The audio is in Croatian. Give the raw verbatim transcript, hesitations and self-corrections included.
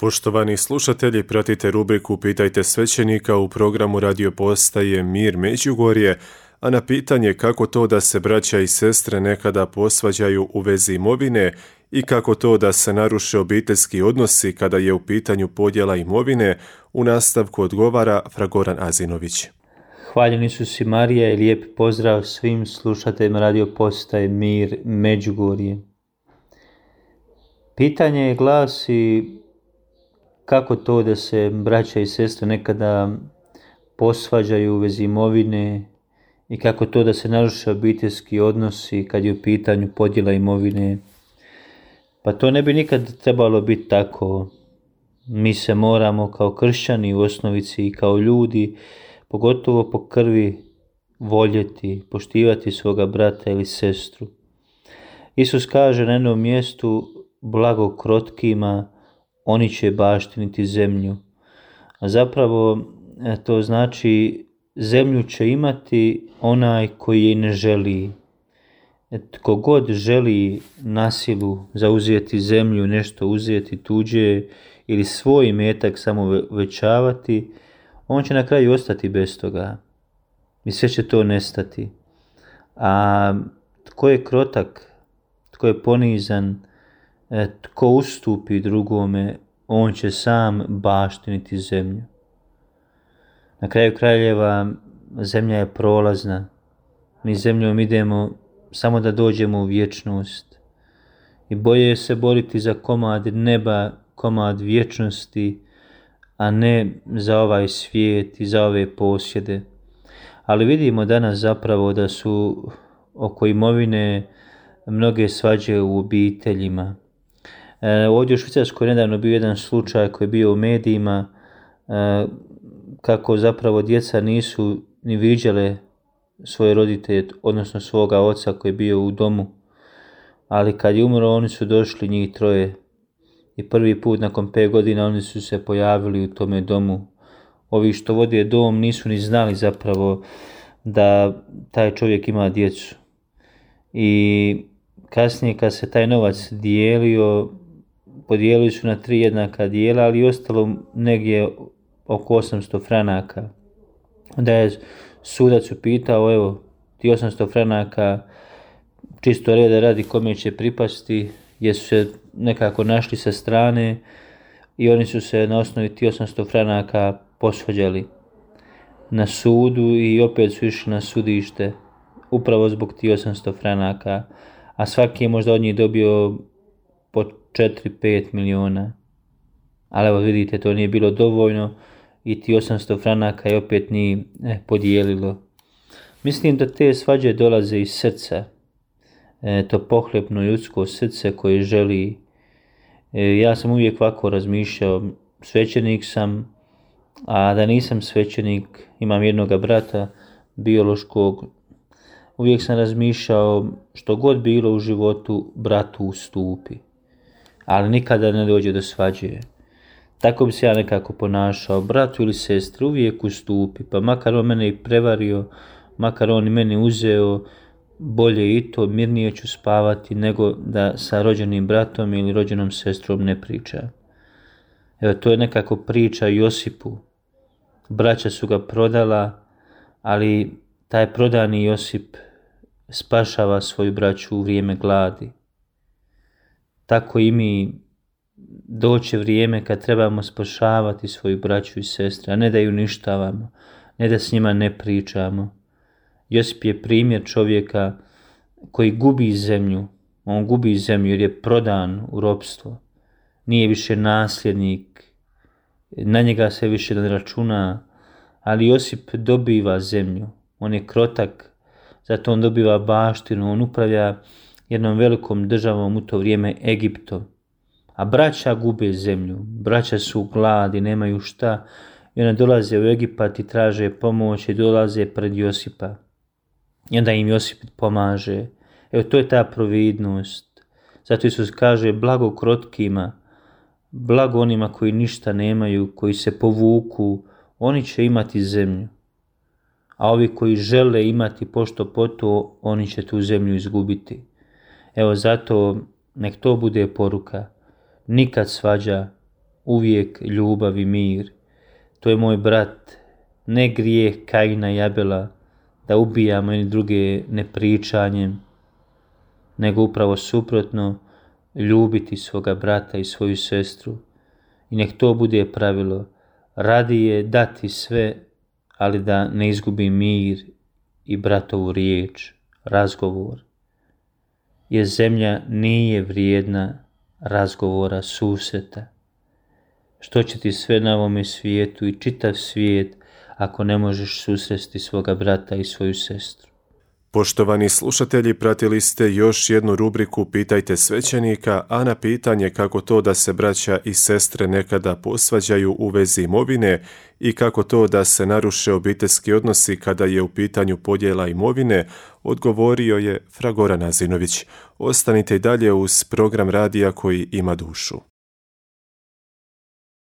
Poštovani slušatelji, pratite rubriku Pitajte svećenika u programu radio postaje Mir Međugorje, a na pitanje kako to da se braća i sestre nekada posvađaju u vezi imovine i kako to da se naruše obiteljski odnosi kada je u pitanju podjela imovine, u nastavku odgovara Fragoran Azinović. Hvaljen Isus i Marija i lijep pozdrav svim slušateljima radio postaje Mir Međugorje. Pitanje glasi: kako to da se braća i sestre nekada posvađaju u vezi imovine i kako to da se naruše obiteljski odnosi kad je u pitanju podjela imovine? Pa to ne bi nikad trebalo biti tako. Mi se moramo kao kršćani u osnovici i kao ljudi, pogotovo po krvi, voljeti, poštivati svoga brata ili sestru. Isus kaže na jednom mjestu: blago krotkima, oni će baštiniti zemlju. A zapravo to znači zemlju će imati onaj koji je ne želi. Tko god želi na silu zauzeti zemlju, nešto uzeti tuđe ili svoj imetak samo većavati, on će na kraju ostati bez toga. I sve će to nestati. A tko je krotak, tko je ponizan, tko ustupi drugome, on će sam baštiniti zemlju. Na kraju kraljeva zemlja je prolazna. Mi zemljom idemo samo da dođemo u vječnost. I bolje se boriti za komad neba, komad vječnosti, a ne za ovaj svijet i za ove posjede. Ali vidimo danas zapravo da su oko imovine mnoge svađe u obiteljima. E, ovdje u Švicarskoj nedavno bio jedan slučaj koji je bio u medijima, e, kako zapravo djeca nisu ni viđale svoje roditelje, odnosno svoga oca koji je bio u domu. Ali kad je umro, oni su došli njih troje. I prvi put nakon pet godina oni su se pojavili u tome domu. Ovi što vode dom nisu ni znali zapravo da taj čovjek ima djecu. I kasnije kad se taj novac dijelio, podijelili su na tri jednaka dijela, ali ostalo negdje oko osamsto franaka. Onda je sudac upitao: evo, ti osamsto franaka čisto reda radi kome će pripasti, jer su se nekako našli sa strane i oni su se na osnovi ti osamsto franaka posvađali na sudu i opet su išli na sudište upravo zbog ti osamsto franaka, a svaki je možda od njih dobio po četiri do pet miliona. Ali evo vidite, to nije bilo dovoljno i ti osamsto franaka je opet nije eh, podijelilo. Mislim da te svađe dolaze iz srca. E, to pohlepno ljudsko srce koje želi. E, ja sam uvijek ovako razmišljao, svećenik sam, a da nisam svećenik, imam jednoga brata biološkog, uvijek sam razmišljao što god bilo u životu, bratu ustupi, ali nikada ne dođe do svađe. Tako bi se ja nekako ponašao, bratu ili sestri uvijek ustupi, pa makar on mene i prevario, makar on i mene uzeo, bolje i to, mirnije ću spavati nego da sa rođenim bratom ili rođenom sestrom ne priča. Evo, to je nekako priča o Josipu. Braća su ga prodala, ali taj prodani Josip spašava svoju braću u vrijeme gladi. Tako i mi, doće vrijeme kad trebamo spašavati svoju braću i sestre, a ne da ju uništavamo, ne da s njima ne pričamo. Josip je primjer čovjeka koji gubi zemlju. On gubi zemlju jer je prodan u ropstvo. Nije više nasljednik, na njega se više ne računa, ali Josip dobiva zemlju. On je krotak, zato on dobiva baštinu, on upravlja jednom velikom državom u to vrijeme, Egiptom. A braća gube zemlju, braća su u gladi, nemaju šta, i onda dolaze u Egipat i traže pomoć i dolaze pred Josipa. I onda im Josip pomaže. Evo, to je ta providnost. Zato Isus kaže: blago krotkima, blago onima koji ništa nemaju, koji se povuku, oni će imati zemlju. A ovi koji žele imati pošto poto, oni će tu zemlju izgubiti. Evo, zato nek to bude poruka. Nikad svađa uvijek ljubav i mir. To je moj brat, ne grijeh Kaina i Abela, da ubijamo jedni druge nepričanjem, nego upravo suprotno, ljubiti svoga brata i svoju sestru. I nek to bude pravilo, radije dati sve, ali da ne izgubi mir i bratovu riječ, razgovor. Jer zemlja nije vrijedna razgovora, susreta. Što će ti sve na ovome svijetu i čitav svijet ako ne možeš susresti svoga brata i svoju sestru? Poštovani slušatelji, pratili ste još jednu rubriku Pitajte svećenika, a na pitanje kako to da se braća i sestre nekada posvađaju u vezi imovine i kako to da se naruše obiteljski odnosi kada je u pitanju podjela imovine, odgovorio je fra Goran Azinović. Ostanite i dalje uz program radija koji ima dušu.